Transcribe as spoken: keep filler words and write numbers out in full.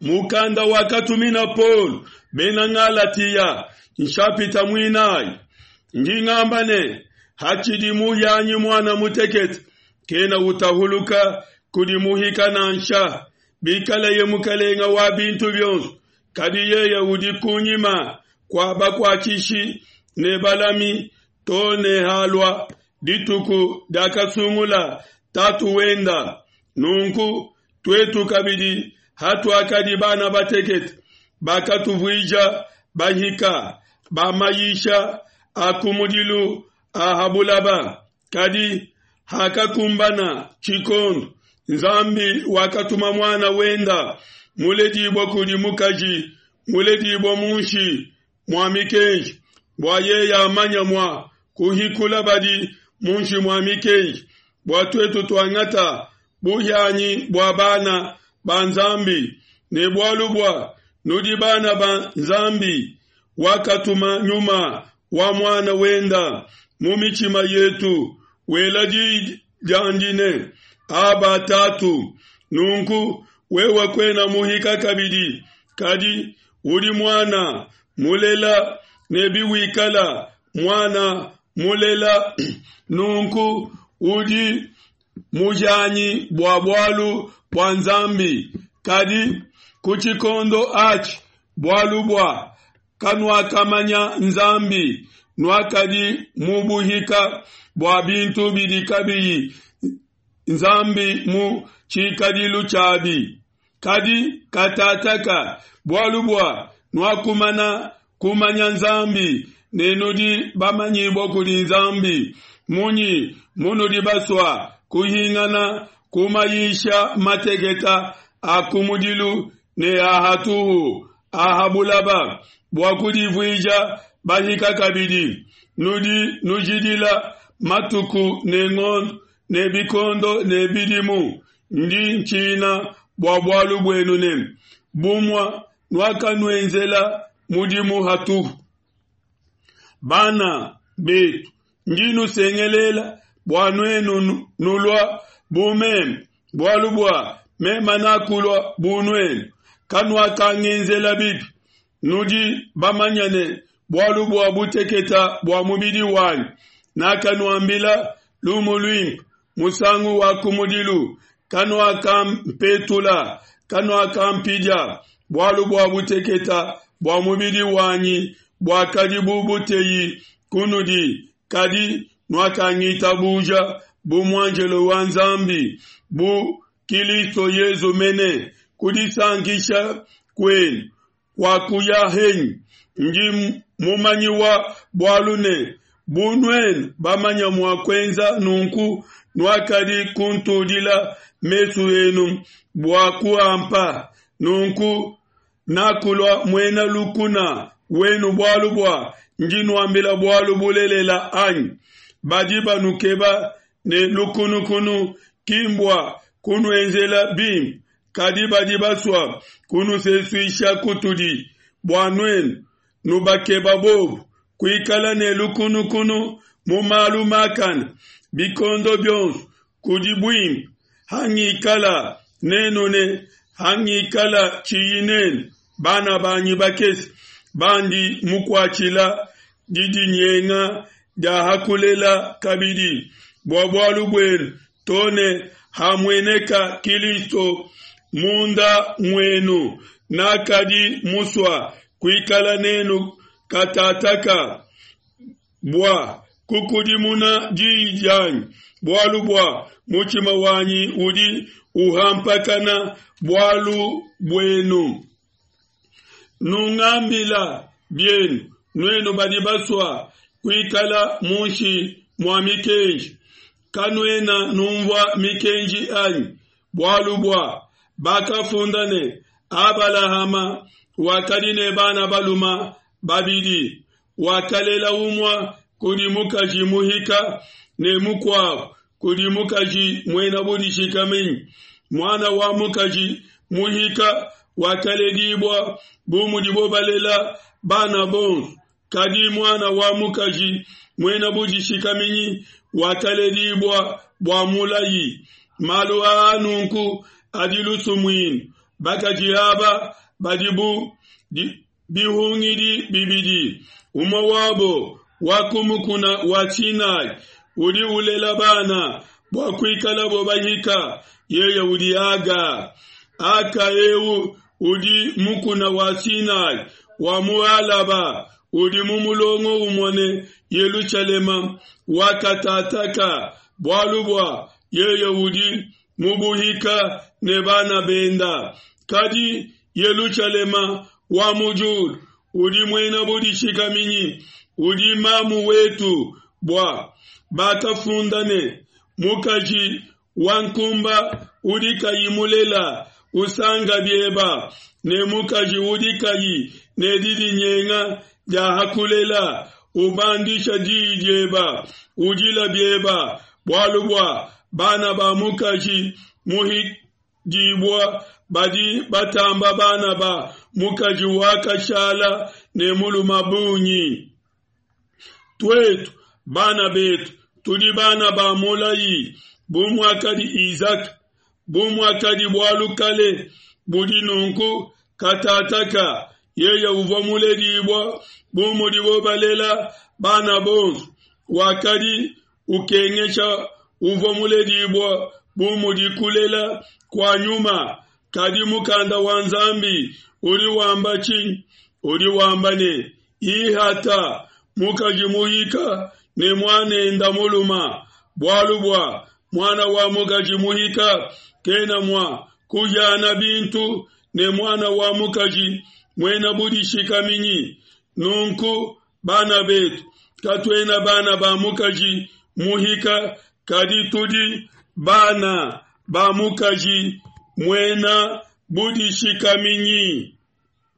Mukanda wakatumina Paulo bena Ngalatiya, nshapita muinayi. Ndi ngamba ne, hatshidi muhianyi muana mutekete, kena utahuluka kudi muhika nansha, bikaleye mukelenge wa bintu bionso, kadi yeye udi kunyima kua bakuatshishi ne balami to ne halua dituku diakasungula tatu wenda. Nunku tuetu kabidi, hatuakadi bana batekete, bakatuvuija bahika ba mayisha a kumudilu a ha bulaba. Kadi hakakumbana tshikondo, Nzambi wakatuma muana wenda muledibua kudi mukaji, muledibua munshi mua mikenji, bua yeye amanya mua kuhikula badi munshi mua mikenji, bua tuetu tuangata buhianyi bua bana ba Nzambi. Ne bualu bua nudi bana ba Nzambi, wakatuma Nyuma wa Muana wenda mu mitshima yetu, wela di diandi ne, Aba, Tatu. Nunku wewe kuena muhika kabidi, kadi udi muana mulela, ne biwikala muana mulela nunku udi muhianyi bua bualu bua Nzambi. Kadi ku tshikondo atshi, bualu bua kanuakamanya Nzambi, nuakadi mu buhika bua bintu bidi kabiyi Nzambi mu tshikadilu tshiabi. Kadi katataka, bualu bua nuakumana kumanya Nzambi ne nudi bamanyibua kudi Nzambi, munyi munudi basua kuhingana ku mayisha mateketa a kumudilu ne a hatuhu a ha bulaba, bua kudivuija bahika kabidi? Nudi nujidila matuku ne ngondo ne bikondo ne bidimu. Ndi ntshina bua bualu buenu ne bumua nuakanuenzela mudimu hatuhu. Bana betu, ndi nusengelela bua nuenu nulua bu meme, bualu bua meme nakulua bu nuenu. Kanuakangenzela bibi. Nudi bamanya ne bualu bua buteketa bua mubidi wanyi nakanuambila lumu luimpe musangu wa kumudilu. Kanuakampetula, kanuakampidia, bualu bua buteketa bua mubidi wanyi buakadi bu buteyi kunudi, kadi nuakangitabuja bu muanjelo wa Nzambi, bu Kilisto Yesu mene. Kudisankisha kuenu kuakuya henyi? Ndi mumanyi wa bualu ne bu nuenu bamanya mua kuenza nunku, nuakadi kuntudila mesu enu bua kuampa. Nunku nakulua muena lukuna wenu bualu bua ndi nuambila bualu bulelela anyi? Badi banukeba ne lukunukunu ki mbua kunuenzela bimpe, kadi badi basua kunusesuisha kutudi, bua nuenu nubakeba bobu. Kuikala ne lukunukunu mu malu makane bikondo bionso kudi buimpe, hangikala nenu ne hangikala tshiyi nenu, bana banyi bakese, bandi mukuatshila didinyenga dia hakulela kabidi bua bualu buenu, to ne hamueneka Kilisto munda muenu. Nakadi musua kuikala nenu katataka bua kukudimuna diyi dianyi, bualu bua mutshima wanyi udi uhampakana bualu buenu. Nungambila bienu, nuenu badi basua kuikala munshi mua mikenji, kanuena numvua mikenji anyi? Bualu bua bakafunda ne, Abalahama wakadi ne bana baluma babidi, wakalela umua kudi mukaji muhika ne mukuabu kudi mukaji muena budishikaminyi. Muana wa mukaji muhika wakaledibua bu mudibo balela bana bonso, kadi muana wa mukaji muena budishikaminyi wakaledibua bua mulayi. Malu aa nunku adi lusumuinu, Bakaji aba badi bu bihungidi bibidi, umue wabo wa ku mukuna wa Sinai udi ulela bana bua kuikalabo bahika, yeye udi Aga. Aka eu udi mukuna wa Sinai wa mu Alaba, udi mu mulongo umue ne Yelushalema wa katataka, bualu bua yeye udi mu buhika ne bana benda. Kadi Yelushalema wa mu diulu udi muena budishikaminyi, udi mamu wetu, bua bakafunda ne, Mukaji wa nkumba udi kayi mulela usanka bieba, ne mukaji udi kayi ne didinyenga dia hakulela ubandisha diyi dieba, udila bieba, bualu bua bana ba mukaji muhidibua badi batamba bana ba mukaji wakashala ne muluma bungi. Tuetu bana betu tudi bana ba mulayi bu muakadi Isaka, bu muakadi bualu kale budi nunku katataka yeye uvua muledibua bu mudibo balela bana bonso, wakadi ukengesha uvua muledibua bu mudi kulela kua nyuma. Kadi mukanda wa Nzambi udi wamba tshinyi? Udi wamba ne, Ihata mukaji muhika ne muanenda muluma, bualu bua muana wa mukaji muhika kena mua kuhiana bintu ne muana wa mukaji muena budishikaminyi. Nunku bana betu, katuena bana ba mukaji muhika, kadi tudi bana ba mukaji muena budishikaminyi.